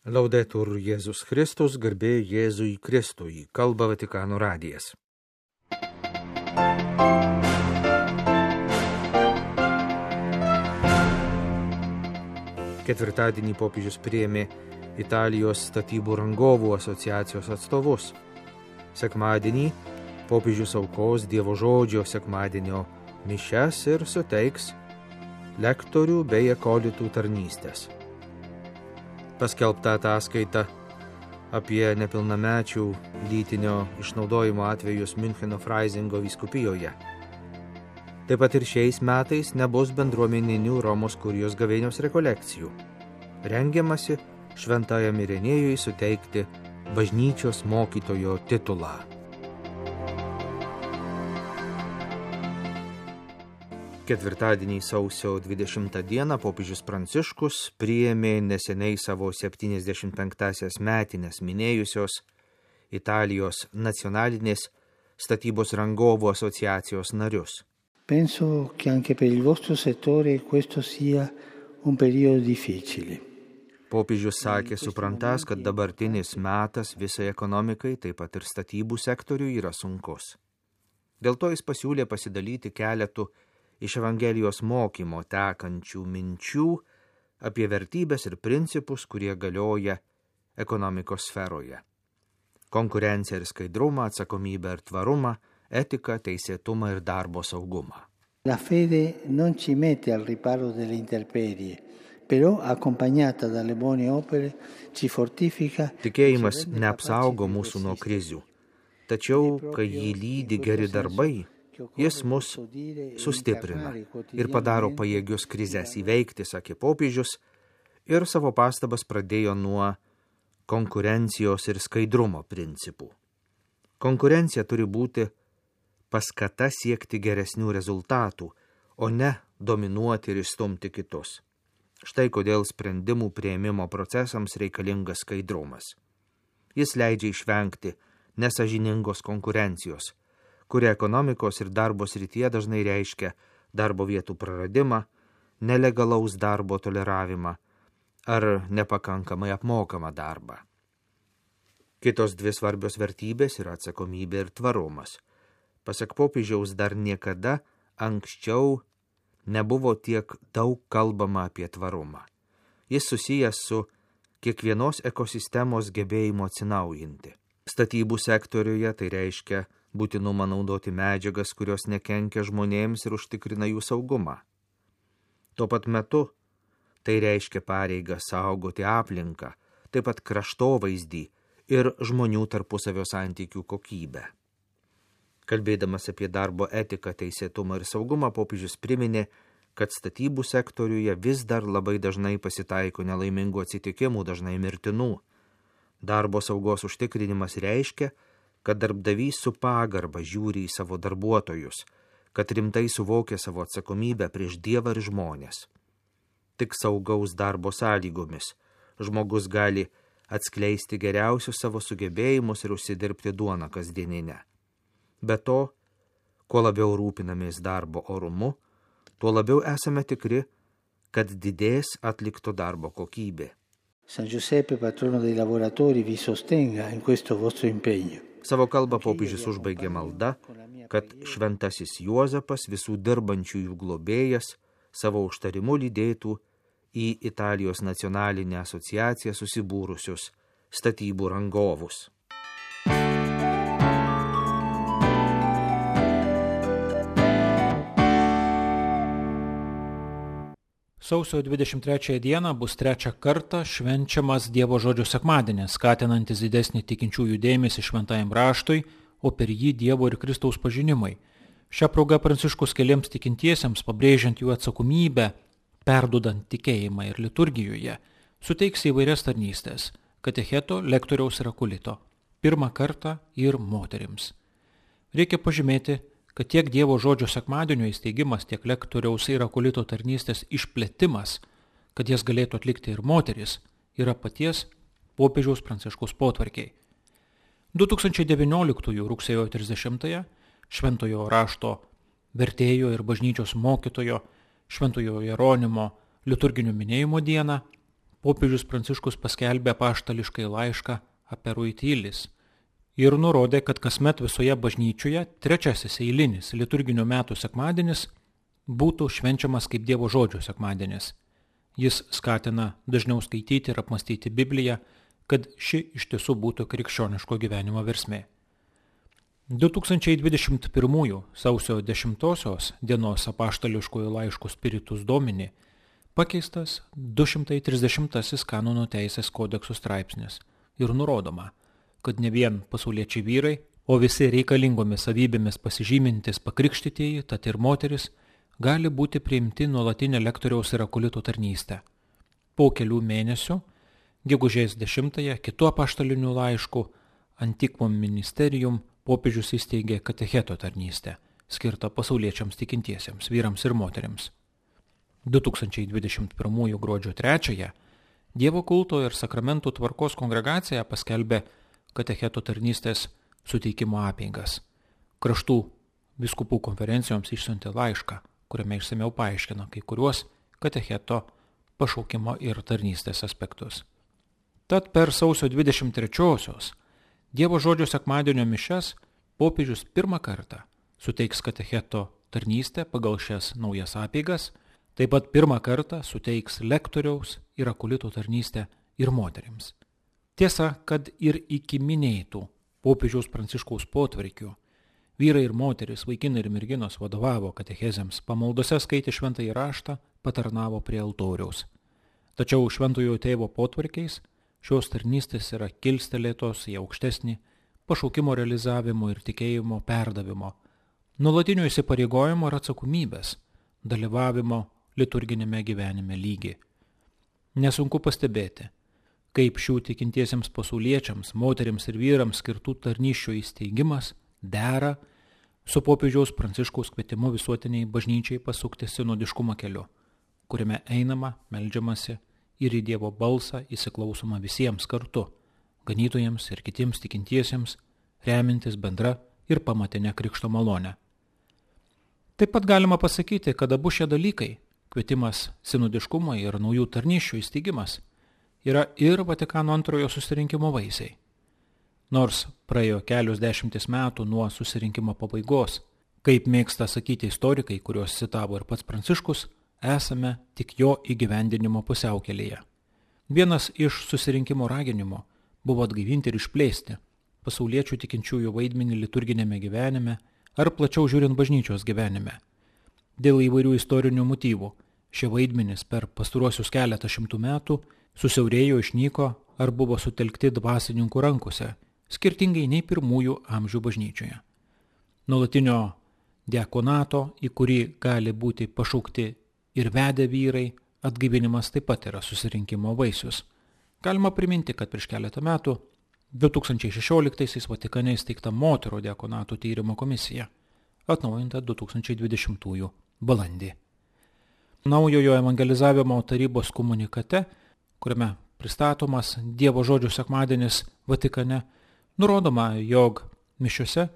Laudetur Jėzus Kristus, garbė Jėzui Kristui, kalba Vatikano radijas. Ketvirtadienį popiežius priėmė Italijos statybų rangovų asociacijos atstovus. Sekmadienį popiežius aukos Dievo žodžio sekmadienio mišias ir suteiks lektorių bei akolitų tarnystės. Paskelbta ataskaita apie nepilnamečių lytinio išnaudojimo atvejus Miuncheno Fraizingo vyskupijoje. Taip pat ir šiais metais nebus bendruomeninių Romos kurijos gavėnios rekolekcijų. Rengiamasi šventajam Irenėjui suteikti bažnyčios mokytojo titulą. Ketvirtadienį sausio 20 dieną popiežius Pranciškus priėmė neseniai savo 75-asias metines minėjusios Italijos nacionalinės statybos rangovų asociacijos narius. Penso che anche per il vostro settore questo sia un periodo difficile. Popiežius sakė, suprantas, kad dabartinis metas visai ekonomikai, taip pat ir statybų sektoriui yra sunkus. Dėl to jis pasiūlė pasidalyti keletų iš Evangelijos mokymo tekančių minčių apie vertybės ir principus, kurie galioja ekonomikos sferoje. Konkurenciją ir skaidrumą, atsakomybę ir tvarumą, etiką, teisėtumą ir darbo saugumą. La fede non ci mette al riparo delle intemperie, però accompagnata dalle buone opere ci fortifica. Tikėjimas neapsaugo mūsų nuo krizių, tačiau, kai jį lydi geri darbai, jis mus sustiprina ir padaro pajėgius krizes įveikti, sakė popiežius, ir savo pastabas pradėjo nuo konkurencijos ir skaidrumo principų. Konkurencija turi būti paskata siekti geresnių rezultatų, o ne dominuoti ir išstumti kitus. Štai kodėl sprendimų priėmimo procesams reikalingas skaidrumas. Jis leidžia išvengti nesąžiningos konkurencijos, kuri ekonomikos ir darbo srityje dažnai reiškia darbo vietų praradimą, nelegalaus darbo toleravimą ar nepakankamai apmokamą darbą. Kitos dvi svarbios vertybės yra atsakomybė ir tvarumas. Pasak popiežiaus, dar niekada anksčiau nebuvo tiek daug kalbama apie tvarumą. Jis susijęs su kiekvienos ekosistemos gebėjimu atsinaujinti. Statybų sektoriuje tai reiškia būtinumą naudoti medžiagas, kurios nekenkia žmonėms ir užtikrina jų saugumą. Tuo pat metu tai reiškia pareigą saugoti aplinką, taip pat kraštovaizdį ir žmonių tarpusavio santykių kokybę. Kalbėdamas apie darbo etiką, teisėtumą ir saugumą, popiežius priminė, kad statybų sektoriuje vis dar labai dažnai pasitaiko nelaimingų atsitikimų, dažnai mirtinų. Darbo saugos užtikrinimas reiškia, kad darbdavys su pagarba žiūri į savo darbuotojus, kad rimtai suvokia savo atsakomybę prieš Dievą ir žmonės. Tik saugaus darbo sąlygomis žmogus gali atskleisti geriausius savo sugebėjimus ir užsidirbti duoną kasdieninę. Be to, kuo labiau rūpinamės darbo orumu, tuo labiau esame tikri, kad didės atlikto darbo kokybė. San Giuseppe, patrono dei lavoratori, vi sostenga in questo vostro impegno. Savo kalbą popiežius užbaigė malda, kad šventasis Juozapas, visų dirbančiųjų globėjas, savo užtarimu lydėtų į Italijos nacionalinę asociaciją susibūrusius statybų rangovus. Sausio 23 dieną bus trečią kartą švenčiamas Dievo žodžio sekmadienis, skatinantis didesnį tikinčiųjų dėmesį šventajam raštui, o per jį Dievo ir Kristaus pažinimai. Šią progą Pranciškus keliems tikintiesiems, pabrėžiant jų atsakomybę, perdudant tikėjimą ir liturgijoje, suteiks įvairias tarnystės – katecheto, lektoriaus ir akolito. Pirmą kartą ir moterims. Reikia pažymėti, kad tiek Dievo žodžio sekmadienio įsteigimas, tiek lektoriaus ir akolito tarnystės išplėtimas, kad jas galėtų atlikti ir moteris, yra paties popiežiaus Pranciškaus potvarkiai. 2019 rugsėjo 30 šventojo rašto vertėjo ir bažnyčios mokytojo Šventojo Jeronimo liturginio minėjimo dieną popiežius Pranciškus paskelbė apaštališkai laišką Aperuitilis ir nurodė, kad kasmet visoje bažnyčioje trečiasis eilinis liturginio metų sekmadienis būtų švenčiamas kaip Dievo žodžio sekmadienis. Jis skatina dažniau skaityti ir apmastyti Bibliją, kad ši iš tiesų būtų krikščioniško gyvenimo versmė. 2021 sausio 10 dienos apaštališkojo laiško Spiritus Domini pakeistas 230 kanonų teisės kodeksų straipsnis ir nurodoma, kad ne vien pasauliečiai vyrai, o visi reikalingomis savybėmis pasižymintis pakrikštytieji, tad ir moteris, gali būti priimti nuolatinę lektoriaus ir akolito tarnystę. Po kelių mėnesių, gegužės 10 kitu apaštaliniu laišku Antiquam Ministerium popiežius įsteigė katecheto tarnystę, skirtą pasauliečiams tikintiesiems, vyrams ir moteriams. 2021 gruodžio 3 Dievo kulto ir sakramentų tvarkos kongregacija paskelbė katecheto tarnystės suteikimo apeigas. Kraštų vyskupų konferencijoms išsiuntė laišką, kuriame išsamiau paaiškino kai kuriuos katecheto pašaukimo ir tarnystės aspektus. Tad per sausio 23-osios Dievo žodžio sekmadienio mišias popiežius pirmą kartą suteiks katecheto tarnystę pagal šias naujas apeigas, taip pat pirmą kartą suteiks lektoriaus ir akolito tarnystę ir moterims. Tiesa, kad ir iki minėtų popiežiaus Pranciškaus potvarkių vyrai ir moteris, vaikinai ir merginos vadovavo katechezėms, pamaldose skaitė šventąjį raštą, patarnavo prie altoriaus. Tačiau šventojo tėvo potvarkiais šios tarnystės yra kilstelėtos į aukštesnį pašaukimo realizavimo ir tikėjimo perdavimo, nuolatinio įsipareigojimo ir atsakomybės, dalyvavimo liturginėme gyvenime lygį. Nesunku pastebėti, kaip šių tikintiesiems pasauliečiams, moterims ir vyrams skirtų tarnysčių įsteigimas dera su popiežiaus Pranciškaus kvietimu visuotiniai bažnyčiai pasukti sinodiškumo keliu, kuriame einama, meldžiamasi ir į Dievo balsą įsiklausoma visiems kartu, ganytojams ir kitiems tikintiesiems, remintis bendra ir pamatinę krikšto malonę. Taip pat galima pasakyti, kad abu šie dalykai, kvietimas sinodiškumo ir naujų tarnysčių įsteigimas, yra ir Vatikano antrojo susirinkimo vaisiai. Nors praėjo kelios dešimtis metų nuo susirinkimo pabaigos, kaip mėgsta sakyti istorikai, kuriuos citavo ir pats Pranciškus, esame tik jo įgyvendinimo pusiaukelėje. Vienas iš susirinkimo raginimo buvo atgaivinti ir išplėsti pasauliečių tikinčiųjų vaidmenį liturginėme gyvenime ar plačiau žiūrint bažnyčios gyvenime. Dėl įvairių istorinių motyvų šie vaidmenys per pastaruosius keletą šimtų metų susiaurėjo, išnyko ar buvo sutelkti dvasininkų rankose, skirtingai nei pirmųjų amžių bažnyčioje. Nuolatinio diakonato, į kurį gali būti pašaukti ir vedę vyrai, atgaivinimas taip pat yra susirinkimo vaisius. Galima priminti, kad prieš keletą metų 2016 Vatikane įsteigta moterų diakonatų tyrimo komisija, atnaujinta 2020 balandį. Naujojo evangelizavimo tarybos komunikate, kuriame pristatomas Dievo žodžio sekmadienis Vatikane, nurodoma, jog mišiose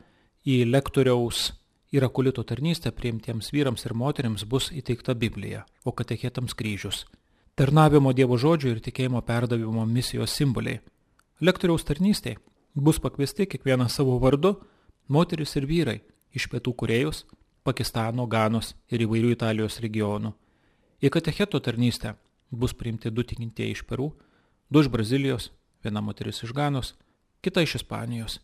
į lektoriaus ir akolito tarnystę priimtiems vyrams ir moterims bus įteikta Biblija, o katechetams kryžius. Tarnavimo Dievo žodžio ir tikėjimo perdavimo misijos simboliai. Lektoriaus tarnystėje bus pakviesti kiekvienas savo vardu moteris ir vyrai iš Pietų Korėjos, Pakistano, Ganos ir įvairių Italijos regionų. Į katecheto tarnystę bus priimti 2 tikintieji iš Peru, 2 iš Brazilijos, 1 moteris iš Ganos, kita iš Ispanijos,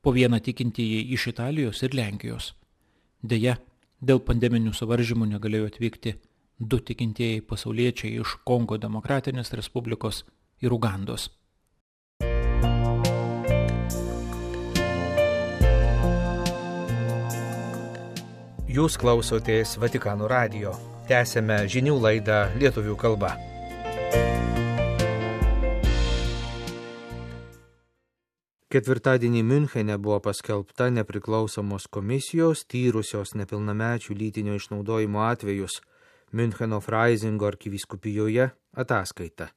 po 1 tikintieji iš Italijos ir Lenkijos. Deja, dėl pandeminių suvaržymų negalėjo atvykti 2 tikintieji pasauliečiai iš Kongo Demokratinės Respublikos ir Ugandos. Jūs klausotės Vatikano radijo. Tęsėme žinių laidą lietuvių kalba. Ketvirtadienį Miunchene buvo paskelbta nepriklausomos komisijos tyrusios nepilnamečių lytinio išnaudojimo atvejus Miuncheno Fraizingo arkivyskupijoje ataskaita.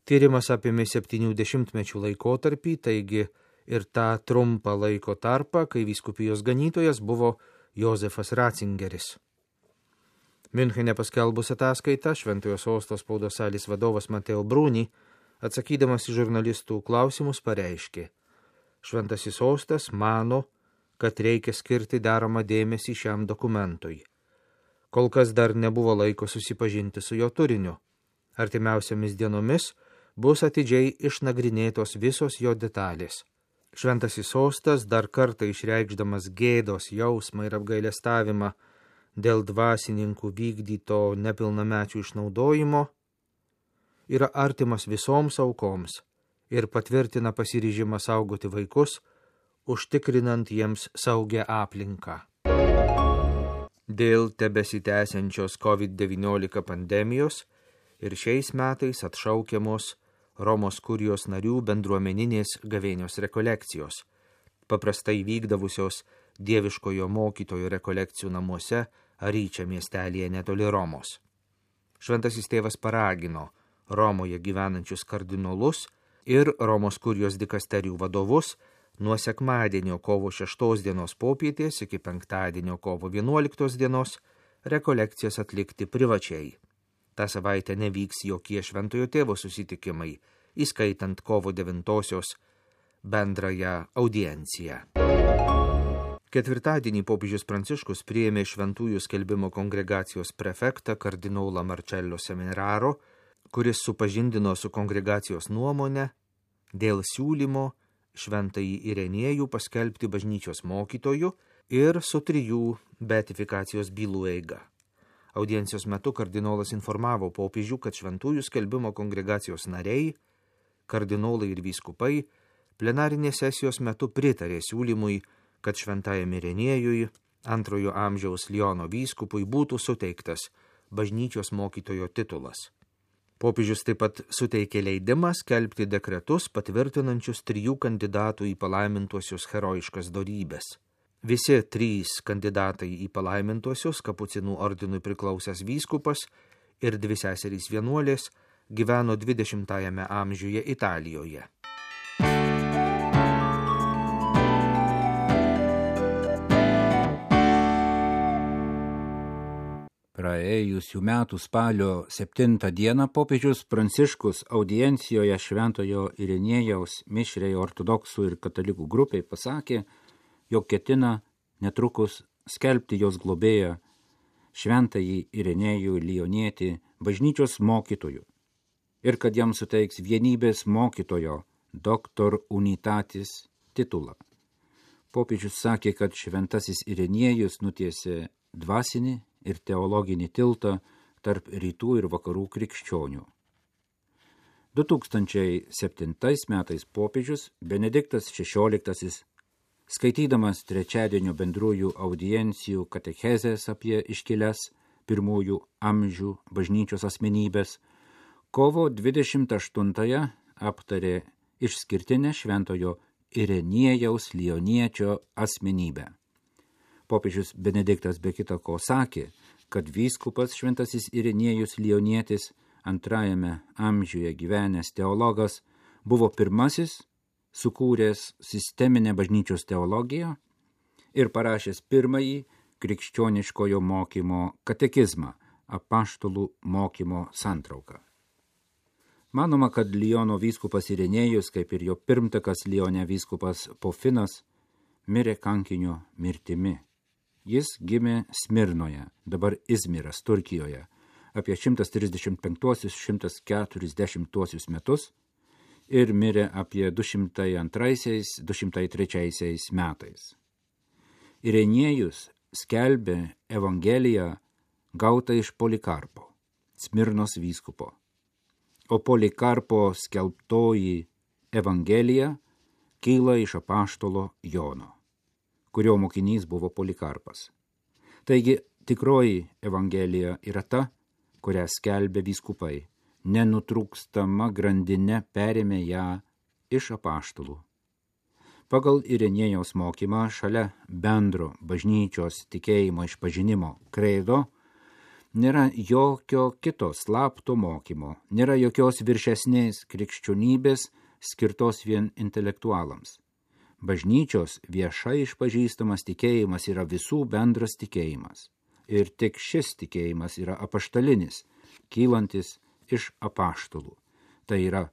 Tyrimas apėmė 70-mečių laikotarpį, taigi ir tą trumpą laiko tarpą, kai vyskupijos ganytojas buvo Jozefas Ratzingeris. Miunchene paskelbus ataskaitą, Šventojo Sosto spaudos salės vadovas Mateo Bruni, atsakydamas į žurnalistų klausimus, pareiškė: Šventasis Sostas mano, kad reikia skirti deramą dėmesį šiam dokumentui. Kol kas dar nebuvo laiko susipažinti su jo turiniu. Artimiausiamis dienomis bus atidžiai išnagrinėtos visos jo detalės. Šventasis Sostas, dar kartą išreikšdamas gėdos jausmą ir apgailestavimą dėl dvasininkų vykdyto nepilnamečių išnaudojimo, yra artimas visoms aukoms ir patvirtina pasiryžimą saugoti vaikus, užtikrinant jiems saugią aplinką. Dėl tebesitęsiančios COVID-19 pandemijos ir šiais metais atšaukiamos Romos kurijos narių bendruomeninės gavėnios rekolekcijos, paprastai vykdavusios Dieviškojo mokytojo rekolekcijų namuose Aryčia miestelėje netoli Romos. Šventasis tėvas paragino Romoje gyvenančius kardinolus ir Romos kurijos dikasterijų vadovus nuo sekmadienio kovo 6 dienos popietės iki penktadienio kovo 11 dienos rekolekcijas atlikti privačiai. Ta savaitė nevyks jokie Šventojo tėvo susitikimai, įskaitant kovo 9 bendrąją audienciją. Ketvirtadienį popiežius Pranciškus priėmė Šventųjų skelbimo kongregacijos prefektą kardinolą Marcello Semeraro, kuris supažindino su kongregacijos nuomonę dėl siūlymo Šventąjį Irenėjų paskelbti bažnyčios mokytoju ir su 3 beatifikacijos bylų eiga. Audiencijos metu kardinolas informavo popiežių, kad Šventųjų skelbimo kongregacijos nariai, kardinolai ir vyskupai plenarinės sesijos metu pritarė siūlymui, kad Šventajam Irenėjui, 2 amžiaus Liono vyskupui, būtų suteiktas bažnyčios mokytojo titulas. Popiežius taip pat suteikė leidimą skelbti dekretus patvirtinančius 3 kandidatų į palaimintuosius herojiškas dorybes. Visi 3 kandidatai į palaimintuosius, kapucinų ordinui priklausęs vyskupas ir 2 seserys vienuolės, gyveno 20 amžiuje Italijoje. Praėjusių metų spalio 7 dieną popiežius Pranciškus audiencijoje Šventojo Irenėjaus mišriai ortodoksų ir katalikų grupiai pasakė, jog ketina netrukus skelbti jos globėją Šventąjį Irenėjų Lionietį bažnyčios mokytoju ir kad jam suteiks vienybės mokytojo Doctor Unitatis titulą. Popiežius sakė, kad Šventasis Irenėjus nutiesė dvasinį ir teologinį tiltą tarp rytų ir vakarų krikščionių. 2007 metais popiežius Benediktas XVI, skaitydamas trečiadienio bendrųjų audiencijų katechezės apie iškilias 1 amžių bažnyčios asmenybės, kovo 28 aptarė išskirtinę Šventojo Irenėjaus Lioniečio asmenybę. Popiežius Benediktas be kita ko sakė, kad vyskupas Šventasis Irenėjus Lionietis, 2 amžiuje gyvenęs teologas, buvo pirmasis sukūręs sisteminę bažnyčios teologiją ir parašęs pirmąjį krikščioniškojo mokymo katekizmą, apaštalų mokymo santrauką. Manoma, kad Liono vyskupas Irenėjus, kaip ir jo pirmtakas Lione vyskupas Pofinas, mirė kankinio mirtimi. Jis gimė Smirnoje, dabar Izmiras, Turkijoje, apie 135–140 metus ir mirė apie 202–203 metais. Irenėjus skelbė Evangeliją gautą iš Polikarpo, Smirnos vyskupo, o Polikarpo skelbtoji Evangelija kyla iš apaštalo Jono, kurio mokinys buvo Polikarpas. Taigi, tikroji Evangelija yra ta, kurią skelbė vyskupai, nenutrūkstama grandinė perėmė ją iš apaštalų. Pagal Irenėjaus mokymą šalia bendro bažnyčios tikėjimo išpažinimo kredo nėra jokio kito slapto mokymo, nėra jokios viršesnės krikščionybės skirtos vien intelektualams. Bažnyčios viešai išpažįstamas tikėjimas yra visų bendras tikėjimas ir tik šis tikėjimas yra apaštalinis, kylantis iš apaštalų. Tai yra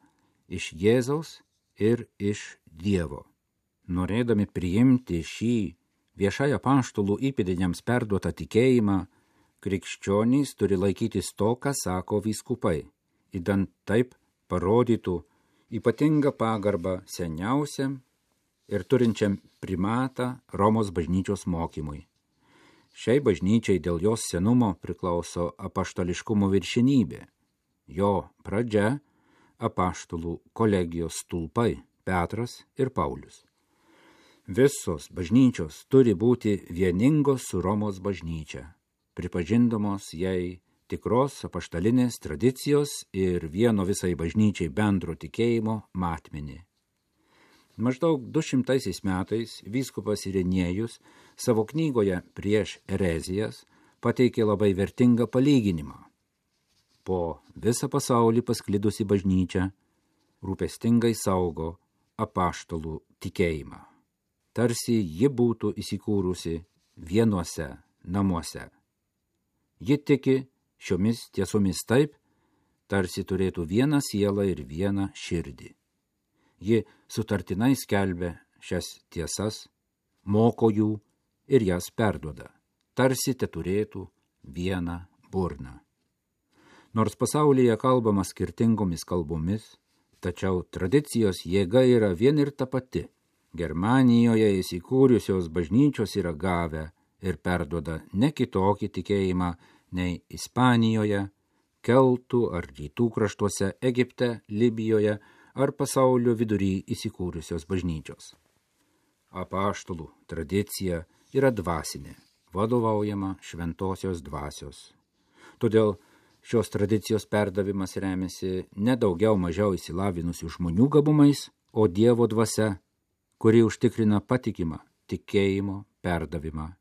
iš Jėzaus ir iš Dievo. Norėdami priimti šį viešai apaštalų įpėdiniams perduotą tikėjimą, krikščionys turi laikytis to, ką sako vyskupai, idant taip parodytų ypatingą pagarbą seniausiam ir turinčiam primatą Romos bažnyčios mokymui. Šiai bažnyčiai dėl jos senumo priklauso apaštališkumo viršenybė. Jo pradžia apaštalų kolegijos stulpai Petras ir Paulius. Visos bažnyčios turi būti vieningos su Romos bažnyčia, pripažindamos jai tikros apaštalinės tradicijos ir vieno visai bažnyčiai bendro tikėjimo matmenį. Maždaug 200 metais vyskupas Irenėjus savo knygoje Prieš erezijas pateikė labai vertingą palyginimą. Po visą pasaulį pasklidusi bažnyčia rūpestingai saugo apaštalų tikėjimą. Tarsi ji būtų įsikūrusi vienuose namuose. Ji tiki šiomis tiesomis taip, tarsi turėtų vieną sielą ir vieną širdį. Ji sutartinai skelbia šias tiesas, moko jų ir jas perduoda, tarsi te turėtų vieną burną. Nors pasaulyje kalbama skirtingomis kalbomis, tačiau tradicijos jėga yra vien ir ta pati. Germanijoje įsikūrusios bažnyčios yra gavę ir perduoda ne kitokį tikėjimą nei Ispanijoje, Keltų ar rytų kraštuose, Egipte, Libijoje ar pasaulio vidury įsikūrusios bažnyčios. Apaštalų tradicija yra dvasinė, vadovaujama šventosios dvasios. Todėl šios tradicijos perdavimas remiasi ne daugiau mažiau išsilavinusių žmonių gabumais, o Dievo dvasia, kuri užtikrina patikimą tikėjimo perdavimą.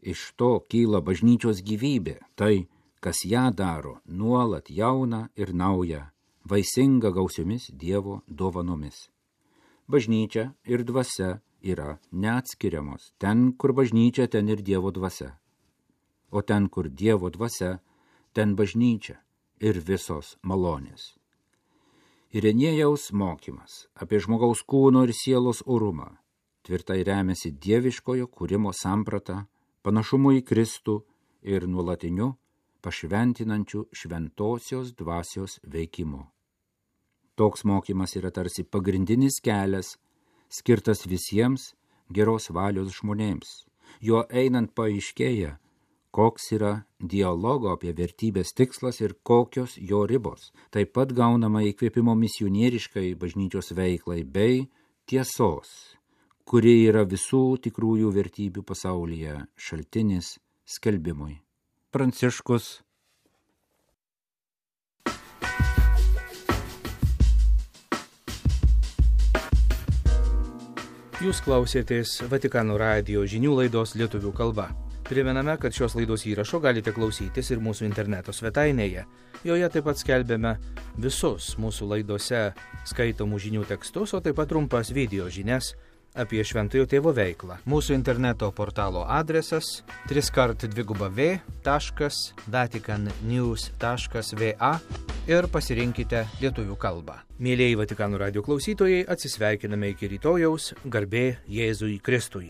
Iš to kyla bažnyčios gyvybė, tai, kas ją daro nuolat jauna ir nauja, vaisinga gausiomis Dievo dovanomis. Bažnyčia ir dvasia yra neatskiriamos. Ten, kur bažnyčia, ten ir Dievo dvasia. O ten, kur Dievo dvasia, ten bažnyčia ir visos malonės. Irenėjaus mokymas apie žmogaus kūno ir sielos orumą tvirtai remiasi dieviškojo kūrimo samprata, panašumu į Kristų ir nuolatiniu pašventinančiu šventosios dvasios veikimu. Toks mokymas yra tarsi pagrindinis kelias, skirtas visiems geros valios žmonėms. Juo einant paaiškėja, koks yra dialogo apie vertybės tikslas ir kokios jo ribos. Taip pat gaunama įkvėpimo misionieriškai bažnyčios veiklai bei tiesos, kuri yra visų tikrųjų vertybių pasaulyje šaltinis skelbimui. Pranciškus. Jūs klausėtės Vatikano radijo žinių laidos lietuvių kalba. Primename, kad šios laidos įrašo galite klausytis ir mūsų interneto svetainėje. Joje taip pat skelbiame visus mūsų laidose skaitomų žinių tekstus, o taip pat trumpas video žinias apie Šventojo Tėvo veiklą. Mūsų interneto portalo adresas www.vaticannews.va ir pasirinkite lietuvių kalbą. Mielieji Vatikano radijo klausytojai, atsisveikiname iki rytojaus, garbė Jėzui Kristui.